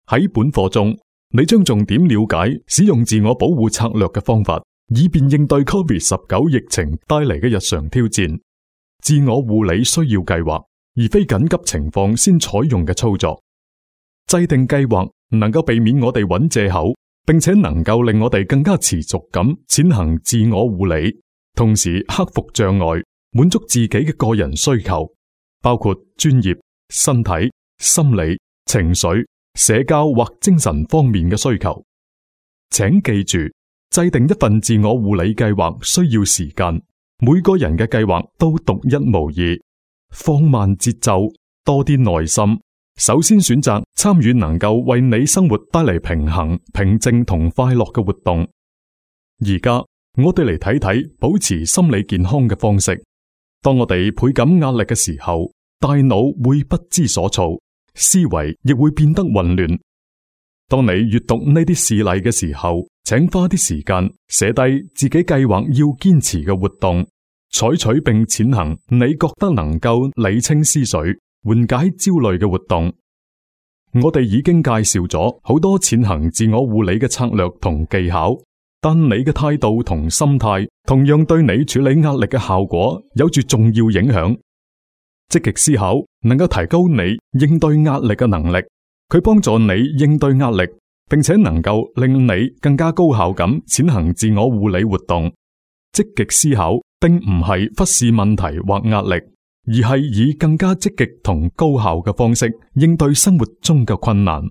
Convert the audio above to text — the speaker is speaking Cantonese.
喺本課中，你將重點了解使用自我保護策略嘅方法，以便應對 COVID-19 疫情帶嚟嘅日常挑戰。自我護理需要計劃，而非緊急情況先採用嘅操作。制定計劃能夠避免我哋揾借口，並且能夠令我哋更加持續咁踐行自我護理，同時克服障礙，滿足自己嘅個人需求，包括專業、身體、心理、情緒、社交或精神方面嘅需求。請記住，制定一份自我護理計劃需要時間，每個人嘅計劃都獨一無二。放慢節奏，多啲耐心。首先選擇參與能夠為你生活帶嚟平衡、平靜同快樂嘅活動。而家我哋嚟睇睇保持心理健康嘅方式。當我哋倍感壓力嘅時候，大腦會不知所措，思維亦會變得混亂。當你閱讀呢啲事例嘅時候，請花啲時間寫低自己計劃要堅持嘅活動，採取並踐行你覺得能夠理清思緒、緩解焦慮嘅活動。我哋已經介紹咗好多踐行自我護理嘅策略同技巧，但你嘅態度同心態同樣對你處理壓力嘅效果有住重要影響。積極思考能夠提高你應對壓力嘅能力，佢幫助你應對壓力，並且能夠令你更加高效咁踐行自我護理活動。積極思考並唔係忽視問題或壓力，而係以更加積極同高效嘅方式應對生活中嘅困難。